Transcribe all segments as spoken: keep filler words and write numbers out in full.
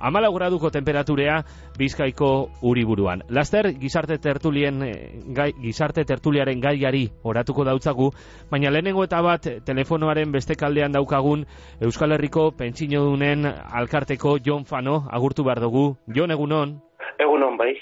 hamalau graduko temperaturea Bizkaiko Uriburuan. Laster gizarte tertulien gai, gizarte tertuliaren gaiari oratuko dautzagu, baina lehenengo eta bat telefonoaren beste kaldean daukagun Euskal Herriko pentsiodunen alkarteko Jon Fano agurtu behar dugu. Jon, egunon? Egunon, bai.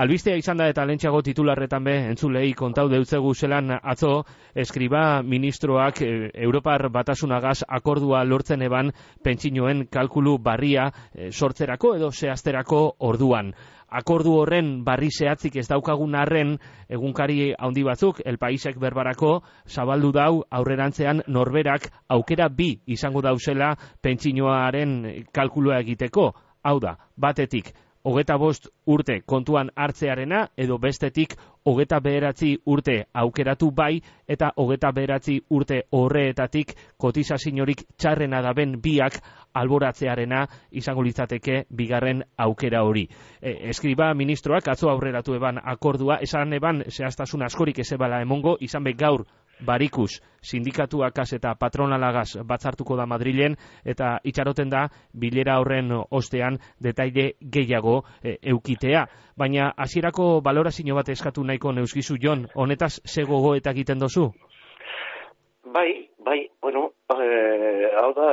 Albistea izan da eta lentsago titularretan be entzulei kontau deutzegu zelan atzo eskriba ministroak e, Europar Batasunagaz akordua lortzen eban pentsinoen kalkulu barria e, sortzerako edo zehazterako orduan. Akordu horren barri zehatzik ez daukagun arren, egunkari handi batzuk, El Paisek berbarako, zabaldu dau aurrerantzean norberak aukera bi izango dauzela pentsinoaren kalkulua egiteko. Hau da, batetik, hogeta bost urte kontuan hartzearena, edo bestetik hogeta bederatzi urte aukeratu bai, eta hogeta bederatzi urte horreetatik kotizaziorik txarrena daben biak alboratzearena izango litzateke bigarren aukera hori. E, eskriba ministroak atzo aurreratu eban akordua, esan eban zehaztasun askorik ezebala emongo, izan be gaur Barikus sindikatuakaz eta patronalagaz batzartuko da Madrilen, eta itxaroten da bilera horren ostean detaile gehiago e, eukitea. Baina hasierako balorazio bat eskatu nahiko neuskizu, Jon, honetaz ze gogoeta egiten dozu? Bai, bai, bueno, eh, hau da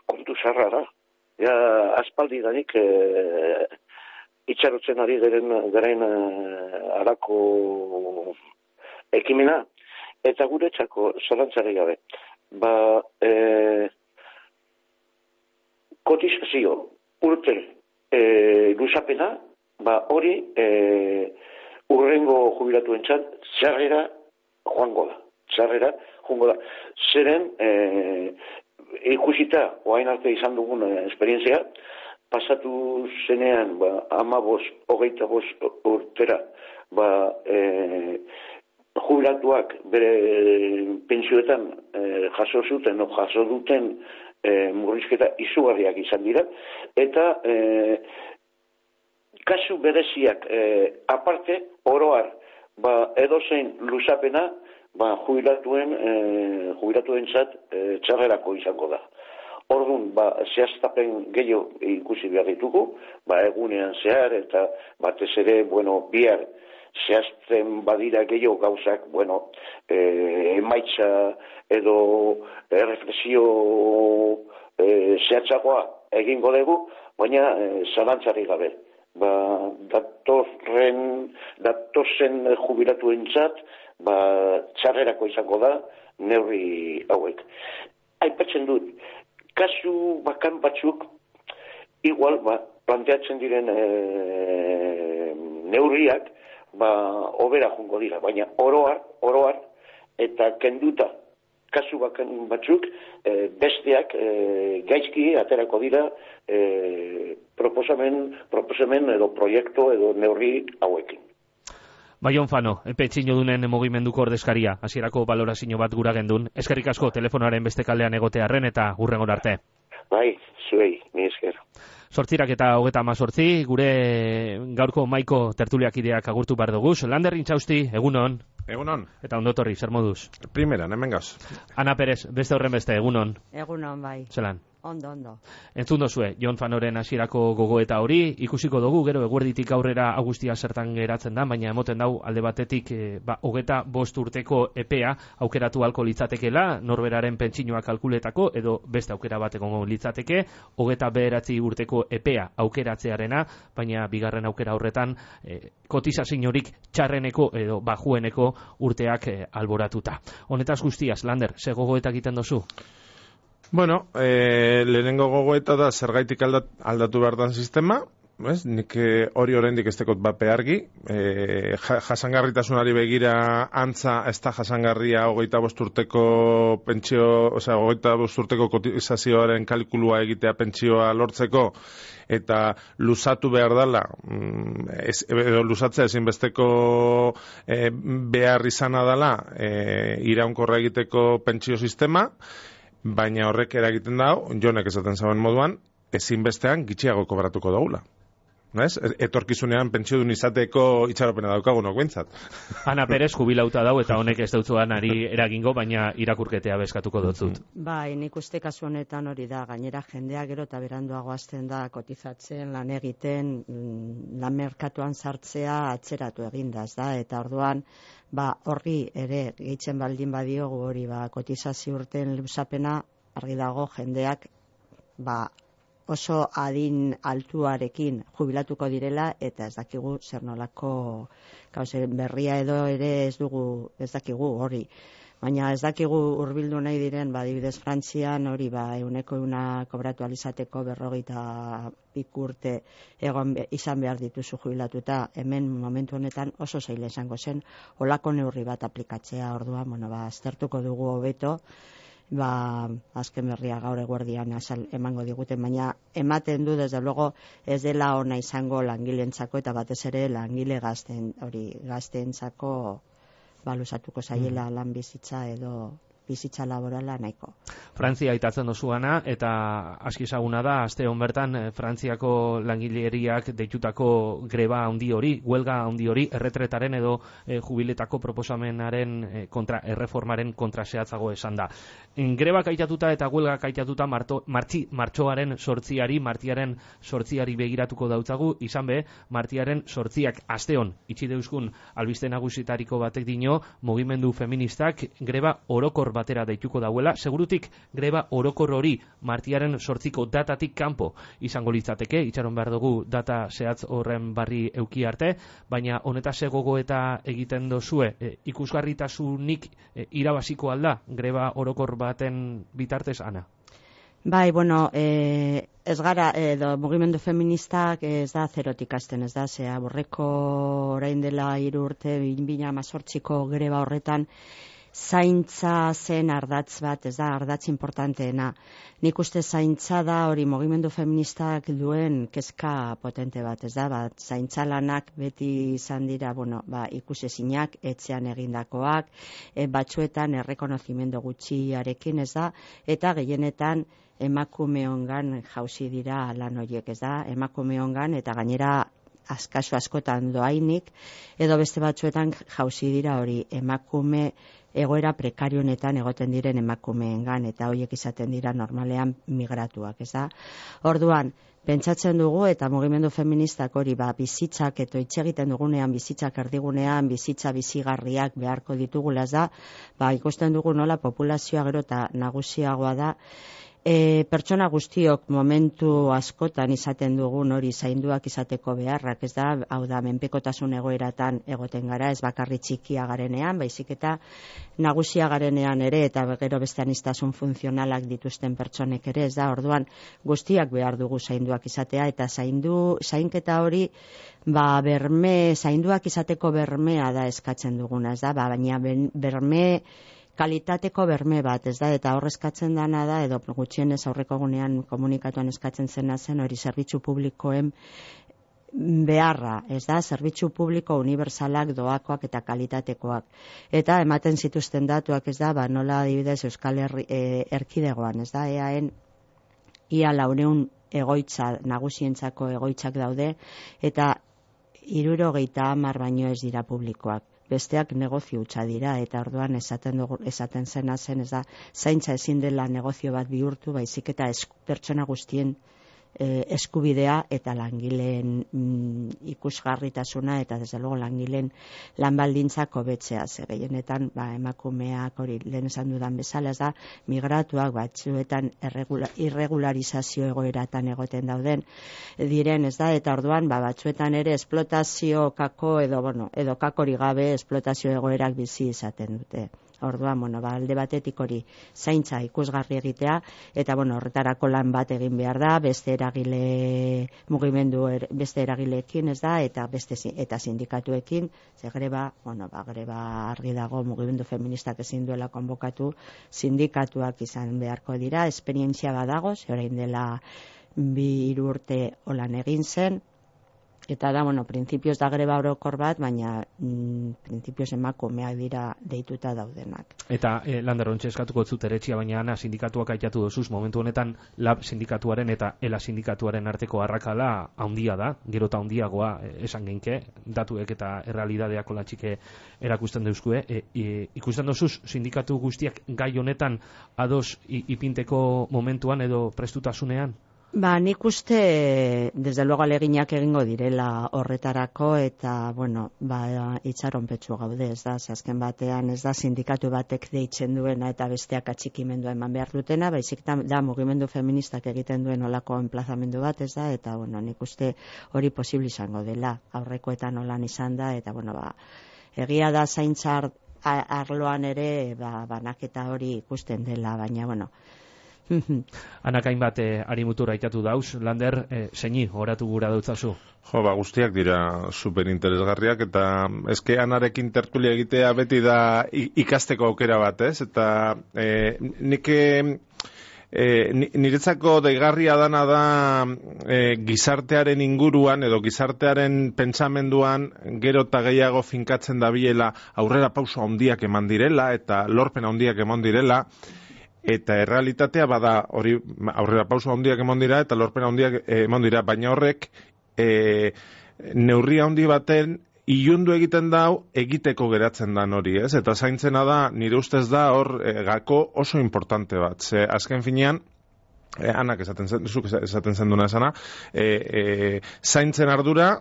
kontu zarra da. Ja, aspaldi danik eh, itxarotzen ari garen, garen eh, arako ekimena, eta guretzako zalantzari gabe. Ba, e, kotizazio urte e, luzapena, ba, hori e, urrengo jubilatuentzat txarrera joango da. Txarrera joango da. Zeren, e, ikusita, oain arte izan dugun esperientzia, pasatu zenean, ba, ama bost, hogeita bost urtera, ba, e, jubilatuak bere pentsioetan e, jaso zuten o jaso duten e, murrizketa izugarriak izan dira, eta e, kasu bereziak e, aparte oroar ba, edozein luzapena ba, jubilatuen e, jubilatuentzat e, txarrerako izango da. Orduan, ba, zehaztapen gehiago ikusi behar ditugu, ba, egunean zehar eta batez ere, bueno, bihar zehazten badira gehiago gauzak, bueno, eh, emaitza edo erreflexio eh, zehatzagoa egingo dugu, baina eh, zalantzari gabe. Ba, datorren, datozen jubilatuentzat, ba, txarrerako izango da neurri hauek. Aipatzen dut, kasu bakan batzuk, igual, ba, planteatzen diren eh, neurriak, ba, obera jungo dira, baina oroar, oroar, eta kenduta kasu bakan batzuk, e, besteak e, gaizki aterako dira e, proposamen, proposamen edo proiektu edo neurri hauekin. Bai, Jon Fano, pentsiodunen mugimenduko ordezkaria, hasierako balorazio bat gura gendun. Eskerrik asko telefonoaren beste kaldean egotearren eta hurrengon arte. Bai, zuei, ni esker. Sortzirak eta hogeta amazortzi, gure gaurko maiko tertuliak ideak agurtu behar duguz. Lander Intxausti, egunon. Egunon. Eta ondotorri, zer moduz? Primeran, hemen gauz. Ana Perez, beste horren beste, egunon. Egunon, bai. Zelan? Ondo, ondo. Entzun dozue, Jon Fanoren hasierako gogoeta hori, ikusiko dugu, gero eguerditik aurrera augustia zertan geratzen da, baina emoten dau alde batetik, e, ba, hogeta bost urteko epea aukeratu halko litzatekela, norberaren pentsinoa kalkuletako, edo beste aukera bat egongo litzateke, hogeta bederatzi urteko epea aukeratzearena, baina bigarren aukera horretan, e, kotizaziorik txarreneko edo bajueneko urteak e, alboratuta. Honetaz guztiaz, Lander, ze gogoeta egiten dozu? Bueno, eh, lehenengo gogoeta da zergaitik aldat, aldatu behar dan sistema, ez? Nik hori oraindik ez dekot bape argi, eh, jasangarritasunari begira antza ez da jasangarria hogeita bost urteko pentsio, osea, hogeita bost urteko kotizazioaren kalkulua egitea pentsioa lortzeko, eta luzatu behar dela, ez, edo luzatzea ezinbesteko eh, behar izana dela eh, iraunkorra egiteko pentsio sistema, baina horrek eragiten dau, Jonek esaten zauen moduan, ezinbestean gitxiago kobratuko daula. Ez? Etorkizunean pentsiodun izateko itxaropena daukagunok behintzat. Ana Perez jubilauta dau eta honek ez dautzuan ari eragingo, baina irakurketea bezkatuko dutzut. Bai, nik uste kasu honetan hori da, gainera jendea gero eta beranduago hasten da kotizatzen, lan egiten, lan merkatuan sartzea atzeratu eginda, ez da, eta orduan ba horri ere gehitzen baldin badiogu hori ba kotizazio urteen luzapena, argi dago jendeak ba oso adin altuarekin jubilatuko direla eta ez dakigu zer nolako gauze berria edo ere ez dugu ez dakigu hori. Baina ez dakigu hurbildu nahi diren, ba, adibidez Frantzian hori ba ehuneko ehuna kobratu alizateko berrogeita urte egon izan behar dituzu jubilatuta, hemen momentu honetan oso zaila izango zen olako neurri bat aplikatzea, orduan, bueno, ba, aztertuko dugu hobeto, ba, azken berria gaur eguerdian azal emango diguten, baina ematen du, desde luego, ez dela ona izango langileentzako eta batez ere langile gazten, hori gazteentzako balusatuko zaiela lan bizitza edo bizitza laborala nahiko. Frantzia aitatzen dozuana, eta aski ezaguna da, aste hon bertan, Frantziako langileriak deitutako greba handi hori, huelga handi hori, erretretaren edo e, jubiletako proposamenaren e, kontra, erreformaren kontraseatzago esan da. En, grebak aitatuta eta huelgak aitatuta marto, martxi, martxoaren sortziari, martiaren sortziari begiratuko dautzagu, izan be, martiaren sortziak aste hon, itxi deuskun albiste nagusitariko batek dino, mugimendu feministak greba orokor batera deituko dauela, segurutik greba orokor hori martiaren sortziko datatik kanpo izango litzateke, itxaron behar dugu data zehatz horren barri euki arte, baina honetaz egogo eta egiten dozue, e, ikusgarritasunik e, irabaziko alda greba orokor baten bitartez, Ana? Bai, bueno, e, ez gara, edo mugimendu feministak ez da zerotik hasten, ez da, zea, borreko orain dela hiru urte, bina amazortziko greba horretan, zaintza zen ardatz bat, ez da, ardatz importanteena. Nik uste zaintza da hori mugimendu feministak duen kezka potente bat, ez da, bat, zaintza lanak beti izan dira, bueno, ba, ikusezinak, etxean egindakoak, e, batzuetan errekonozimendu gutxiarekin, ez da, eta gehienetan emakumeongan jauzi dira lan horiek, ez da, emakumeongan eta gainera askaso askotan doainik, edo beste batzuetan jauzi dira hori emakume egoera prekarionetan egoten diren emakumeengan, eta horiek izaten dira normalean migratuak, ez da? Orduan, pentsatzen dugu eta mugimendu feministak hori ba, bizitzak eta hitz egiten dugunean, bizitzak erdigunean, bizitza bizigarriak beharko ditugula, ez da? Ba, ikusten dugu nola populazioa gero eta nagusiagoa da, E, pertsona guztiok momentu askotan izaten dugun hori zainduak izateko beharrak, ez da, hau da, menpekotasun egoeratan egoten gara, ez bakarri txikia garenean, baizik eta nagusia garenean ere, eta gero beste aniztasun funtzionalak dituzten pertsonek ere, ez da, orduan guztiak behar dugu zainduak izatea, eta zaindu, zainketa hori, ba, berme, zainduak izateko bermea da eskatzen duguna, ez da, ba, baina berme, kalitateko berme bat, ez da, eta hor eskatzen dana da, edo gutxienez aurreko egunean komunikatuan eskatzen zena zen, hori zerbitzu publikoen beharra, ez da, zerbitzu publiko unibertsalak, doakoak eta kalitatekoak. Eta ematen zituzten datuak, ez da, ba, nola adibidez Euskal Herri, e, erkidegoan, ez da, eaen ia laureun egoitza, nagusientzako egoitzak daude, eta hirurogeita hamar baino ez dira publikoak. Besteak negozio hutsa dira, eta orduan esaten, dugu, esaten zena zen, ez da, zaintza ezin dela negozio bat bihurtu, baizik eta es, pertsona guztien e, eskubidea eta langileen mm, ikusgarritasuna eta desde luego langileen lanbaldintzak hobetzea, ze gehienetan ba, emakumeak hori lehen esan dudan bezala, ez da, migratuak batzuetan irregula, irregularizazio egoeratan egoten dauden diren, ez da, eta orduan ba, batzuetan ere esplotazio kako edo, bueno, edo kakori gabe esplotazio egoerak bizi izaten dute. Orduan, bueno, ba, alde batetik hori zaintza ikusgarri egitea, eta bueno, horretarako lan bat egin behar da, beste eragile mugimendu, er, beste eragileekin, ez da, eta beste eta sindikatuekin, ze greba, bueno, ba, greba argi dago mugimendu feministak ezin duela konbokatu, sindikatuak izan beharko dira, esperientzia badago, ze orain dela bi hiru urte holan egin zen, Eta da, bueno, printzipioz da greba orokor bat, baina mm, printzipioz emakumeak dira deituta daudenak. Eta eh, Lander ontsa eskatuko zut eretxia, baina ana sindikatuak aitatu dozuz, momentu honetan lab sindikatuaren eta ela sindikatuaren arteko arrakala handia da, gero eta handiagoa eh, esan genke, datuek eta errealidadeak olatxike erakusten deuzkue. E, e, ikusten dozuz sindikatu guztiak gai honetan ados ipinteko momentuan edo prestutasunean? Ba, nik uste, desde luego aleginak egingo direla horretarako, eta, bueno, ba, itxaronpetsu gaude, ez da, azken batean, ez da, sindikatu batek deitzen duena eta besteak atxikimendua eman behar dutena, baizik da, mugimendu feministak egiten duen olako enplazamendu bat, ez da, eta, bueno, nik uste hori posible izango dela, aurrekoetan olan izan da, eta, bueno, ba, egia da zaintzar arloan ere, ba, banaketa hori ikusten dela, baina, bueno, Anakain bat eh, arimutura aitatu dauz, Lander, eh, zeini, horatu gura dautzazu? Jo, ba, guztiak dira superinteresgarriak, eta eske anarekin tertulia egitea beti da ikasteko aukera bat, ez? Eta eh, nik eh, niretzako deigarria dana da eh, gizartearen inguruan edo gizartearen pentsamenduan gero eta gehiago finkatzen dabilela aurrera pauso handiak eman direla eta lorpen handiak eman direla. Eta errealitatea bada hori aurrera pauso handiak emon dira eta lorpen handiak emon dira, baina horrek e, neurri handi baten ilundu egiten dau egiteko geratzen dan hori, ez? Eta zaintzena da, nire ustez da hor e, gako oso importante bat. Ze azken finean, e, anak esaten zen, zuk esaten zen duna esana, e, e, zaintzen ardura,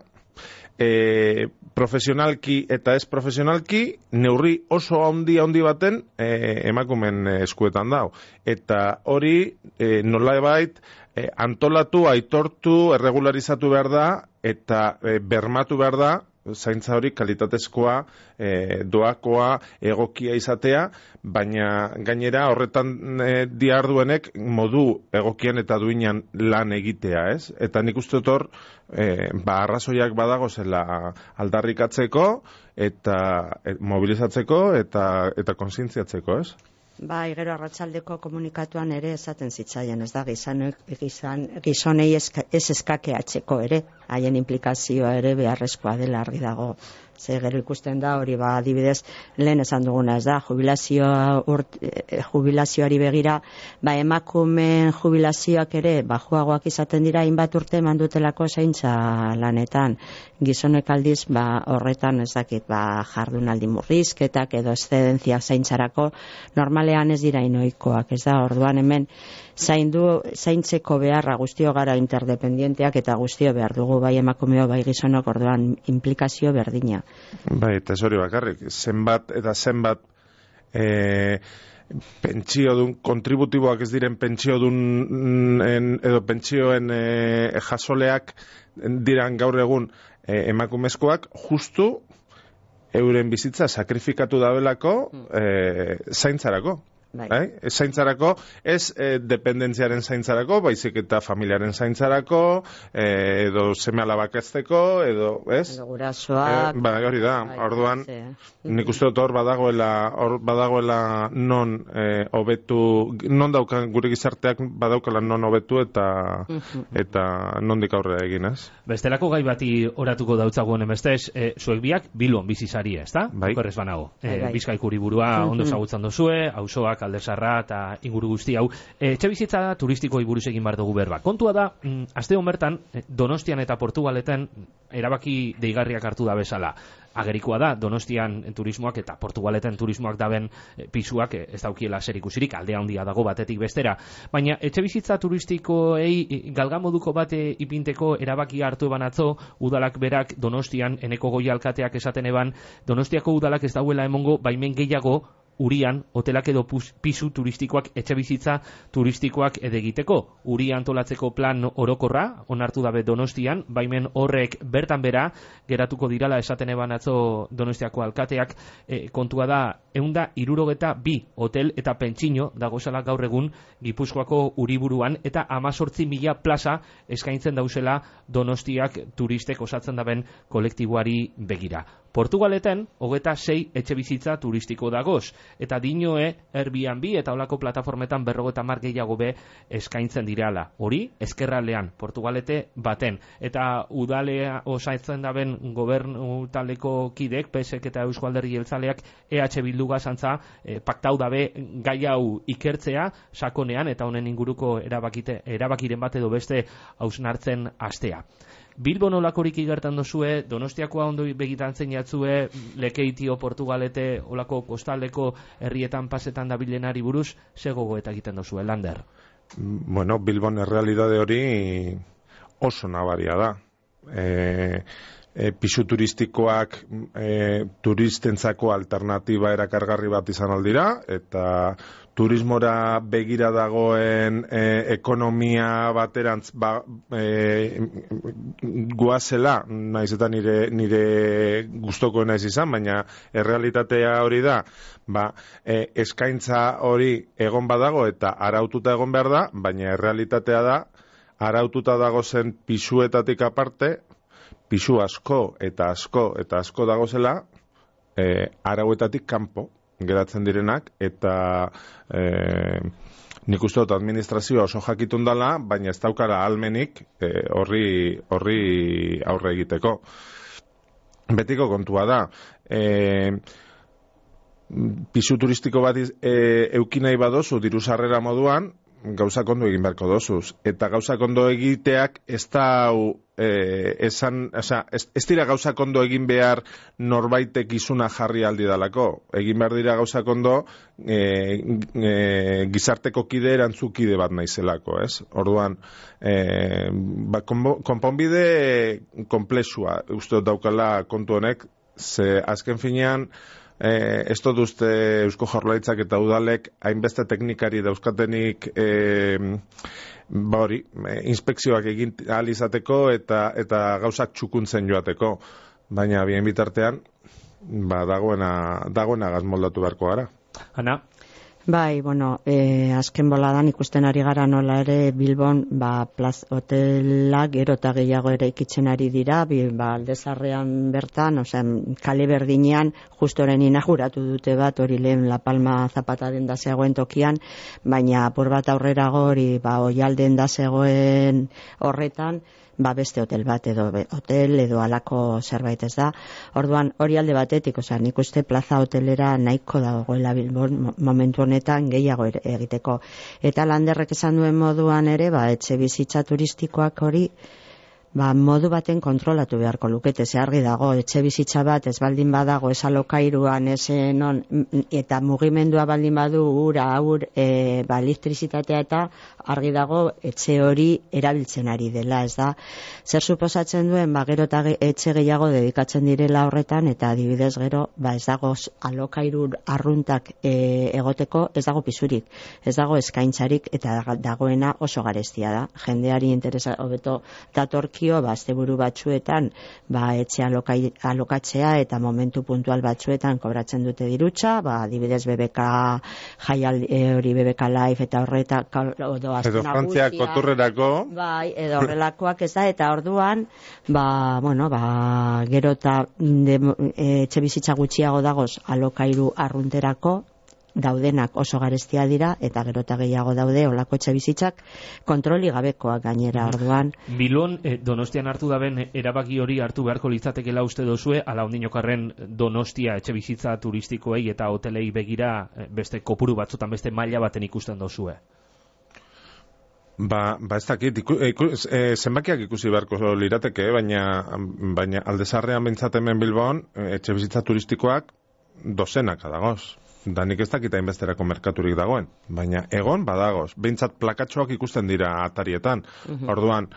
E, profesionalki eta ez profesionalki neurri oso handi handi baten e, emakumen eskuetan dau. Eta hori e, nolabait e, antolatu, aitortu, erregularizatu behar da eta e, bermatu behar da zaintza hori kalitatezkoa, e, doakoa, egokia izatea, baina gainera horretan e, diarduenek modu egokien eta duinan lan egitea, ez? Eta nik uste hor, e, ba, arrazoiak badago zela aldarrikatzeko eta e, mobilizatzeko eta, eta konsientziatzeko, ez? Ba, gero arratsaldeko komunikatuan ere esaten zitzaien, ez da, gizanek, gizan, gizonei eska, ez eskakeatzeko ere, haien implikazioa ere beharrezkoa dela argi dago. Ze gero ikusten da hori, ba, adibidez, lehen esan duguna, ez da, jubilazioa urt, eh, jubilazioari begira, ba, emakumen jubilazioak ere bajuagoak izaten dira hainbat urte mandutelako zaintza lanetan. Gizonek aldiz, ba, horretan ez dakit, ba, jardunaldi murrizketak edo eszedentzia zaintzarako normalean ez dira inoikoak, ez da, orduan hemen zaindu, zaintzeko beharra guztio gara interdependienteak eta guztio behar dugu bai emakumeo bai gizonok, orduan implikazio berdina. Bai, eta ez hori bakarrik, zenbat eta zenbat e, pentsio dun, kontributiboak ez diren pentsio dun en, edo pentsioen e, jasoleak diran gaur egun e, emakumezkoak justu euren bizitza sakrifikatu dabelako e, zaintzarako. Bai. Bai? Zaintzarako, ez eh, dependentziaren zaintzarako, baizik eta familiaren zaintzarako, eh, edo seme alabak ezteko, edo, ez? Edo gurasoak. Eh, ba, hori da, bai, orduan, ze. nik uste dut hor badagoela, hor badagoela non eh, hobetu, non daukan gure gizarteak badaukala non hobetu eta eta nondik aurrera egin, ez? Bestelako gai bati oratuko dautzago honen bestez, e, zuek biak Bilbon bizizaria, ez da? Bai. Okerrez banago. E, Bai, bai. Bizkaiko hiriburua ondo ezagutzen duzue, auzoak Aldezarra eta inguru guzti hau. E, etxebizitza turistikoei buruz egin bar dugu berba. Kontua da, mm, aste hon bertan, Donostian eta Portugaleten erabaki deigarriak hartu da bezala. Agerikoa da, Donostian turismoak eta Portugaleten turismoak daben e, pisuak e, ez daukiela zerikusirik, aldea handia dago batetik bestera. Baina etxebizitza turistikoei galgamoduko bate ipinteko erabaki hartu eban atzo, udalak berak Donostian, eneko goi alkateak esaten eban, Donostiako udalak ez dauela emongo baimen gehiago Urian, hotelak edo pisu turistikoak, etxebizitza turistikoak edegiteko. Uri antolatzeko plan orokorra, onartu dabe Donostian, baimen horrek bertan bera, geratuko dirala esaten eban atzo Donostiako alkateak, e, kontua da, eunda irurogeta bi hotel eta pentsino dagozala gaur egun Gipuzkoako uriburuan, eta amazortzi mila plaza eskaintzen dauzela Donostiak turistek osatzen daben kolektiboari begira. Portugaleten, hogeta sei etxebizitza turistiko dagoz. eta dinoe Airbnb eta olako plataformetan berrogeita hamar gehiago be eskaintzen dirala. Hori, ezkerraldean, Portugalete baten. Eta udalea osaitzen daben gobernu taldeko kidek, P S ek eta Eusko Alderdi Jeltzaleak E H Bilduga santza e, paktau dabe gai hau ikertzea sakonean eta honen inguruko erabakite, erabakiren bat edo beste hausnartzen astea. Bilbon olakorik igertan dozue, Donostiakoa ondo begitan zein jatzue, Lekeitio, Portugalete, olako kostaldeko herrietan pasetan dabilenari buruz, ze gogoeta egiten dozue, Lander? Bueno, Bilbon errealidade hori oso nabaria da. E, e, pisu turistikoak e, turistentzako alternatiba erakargarri bat izan aldira, eta turismora begira dagoen e, ekonomia baterantz ba, e, guazela, naiz eta nire, nire gustokoena ez izan, baina errealitatea hori da, ba, e, eskaintza hori egon badago eta araututa egon behar da, baina errealitatea da, araututa dago zen pisuetatik aparte, pisu asko eta asko eta asko dagozela e, arauetatik kanpo geratzen direnak, eta e, nik uste dut administrazioa oso jakitun dela, baina ez daukara almenik e, horri, horri aurre egiteko. Betiko kontua da, e, pisu turistiko bat e, eukinai badozu diru sarrera moduan, gauzak ondo egin beharko dozuz. Eta gauzak ondo egiteak ez da e, esan, oza, ez, ez dira gauzak ondo egin behar norbaitek izuna jarri aldi dalako. Egin behar dira gauzak ondo e, e, gizarteko kide erantzukide bat naizelako, ez? Orduan, e, ba, konponbide komplexua uste daukala kontu honek, ze azken finean, Eh, ez dut uste Eusko Jaurlaritzak eta udalek hainbeste teknikari dauzkatenik eh, ba hori, eh, inspekzioak egin ahal izateko eta, eta gauzak txukuntzen joateko. Baina bien bitartean, ba, dagoena, dagoena gazmoldatu beharko gara. Ana? Bai, bueno, eh, azken boladan ikusten ari gara nola ere Bilbon ba, plaz, hotelak gero eta gehiago ere ikitzen ari dira, bi, ba, aldezarrean bertan, osea, kale berdinean, justoren inauguratu dute bat, hori lehen La Palma Zapata den da zegoen tokian, baina apur bat aurrera hori, ba, Oialden da zegoen horretan, ba beste hotel bat edo be, hotel edo alako zerbait ez da. Orduan hori alde batetik, osea, nik uste plaza hotelera nahiko dagoela Bilbon momentu honetan gehiago egiteko. Eta Landerrek esan duen moduan ere, ba etxe bizitza turistikoak hori ba, modu baten kontrolatu beharko lukete, ze argi dago, etxe bizitza bat ez baldin badago, ez alokairuan, ez non, eta mugimendua baldin badu ura, aur, e, ba, elektrizitatea eta argi dago etxe hori erabiltzen ari dela, ez da. Zer suposatzen duen, ba, gero eta etxe gehiago dedikatzen direla horretan, eta adibidez gero, ba, ez dago alokairu arruntak e, egoteko, ez dago pisurik, ez dago eskaintzarik, eta dagoena oso garestia da. Jendeari interesa, hobeto datorki ba, asteburu batzuetan ba, etxe alokai, alokatzea eta momentu puntual batzuetan kobratzen dute dirutza, ba, adibidez B B K jaial hori B B K Live eta horreta edo Frantziak koturrerako bai, edo horrelakoak ez da, eta orduan ba, bueno, ba, gero eta etxe bizitza gutxiago dagoz alokairu arrunterako daudenak oso garestia dira, eta gero eta gehiago daude olako etxe bizitzak kontroli gabekoak gainera. Orduan Bilon, eh, Donostian hartu daben erabaki hori hartu beharko litzatekela uste dozue, ala ondinokarren Donostia etxe bizitza turistikoei eta hotelei begira beste kopuru batzutan beste maila baten ikusten dozue? Ba, ba ez dakit, iku, iku, e, zenbakiak ikusi beharko lirateke, baina, baina aldezarrean bintzat hemen Bilbon etxe bizitza turistikoak dozenaka dagoz. Da nik ez dakita inbesterako merkaturik dagoen, baina egon badagoz, behintzat plakatxoak ikusten dira atarietan. Uh-huh. Orduan,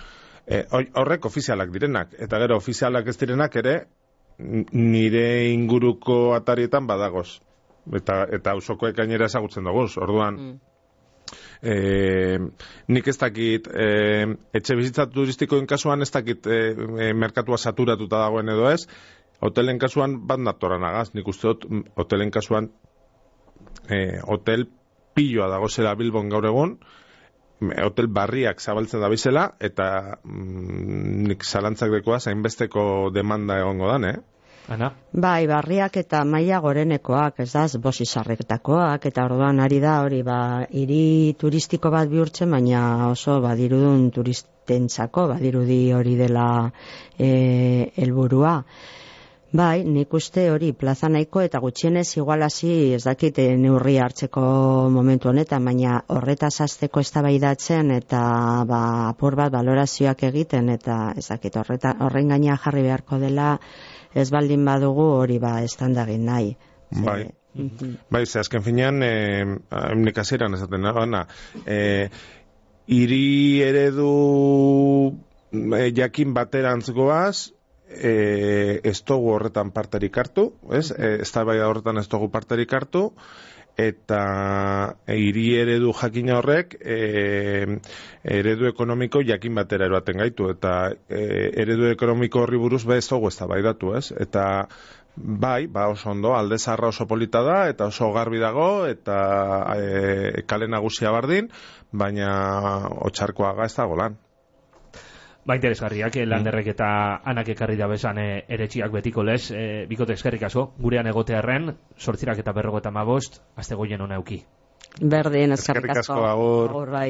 e, horrek ofizialak direnak, eta gero ofizialak ez direnak ere nire inguruko atarietan badagoz. Eta, eta ausokoek gainera ezagutzen dugu. Orduan, mm. E, nik ez dakit e, etxe bizitza turistikoen kasuan ez dakit e, e, merkatua saturatuta dagoen edo ez. Hotelen kasuan bat natoran agaz, nik uste dut hotelen kasuan e, hotel piloa dagozela Bilbon gaur egun, hotel barriak zabaltzen da bizela, eta mm, nik zalantzak dekoa zainbesteko demanda egongo dan, eh? Ana? Bai, barriak eta maila gorenekoak, ez da, bosizarretakoak, eta orduan ari da hori, ba, hiri turistiko bat bihurtzen, baina oso badirudun turistentzako, badirudi hori dela e, helburua. Bai, nik uste hori plaza nahiko eta gutxienez igualasi ez dakit neurri hartzeko momentu honetan, baina horretaz hasteko eztabaidatzen eta ba, apur bat balorazioak egiten eta ez dakit horreta, horren gaina jarri beharko dela ez baldin badugu hori ba estandagin nahi. Bai. Ze, bai, ze azken finean, eh, nik hasieran esaten nabana, eh, hiri eredu eh, jakin baterantz goaz, E, ez dugu horretan parterik hartu, ez? E, ez da bai horretan ez dugu parterik hartu, eta hiri eredu jakina horrek e, eredu ekonomiko jakin batera eroaten gaitu, eta e, eredu ekonomiko horri buruz be ez dugu ez da bai datu, ez? Eta bai, ba oso ondo, Alde Zaharra oso polita da, eta oso garbi dago, eta e, kale nagusia bardin, baina Otxarkoaga ez dago lan. Ba, interesgarriak, Landerrek eta Anak ekarri da bezan e, eretxiak betiko lez, e, bikote eskerrik asko, gurean egotearren, sortzirak eta berrogo eta mabost, azte goien hona euki. Berdin, eskerrik asko, asko, agur. agur bai.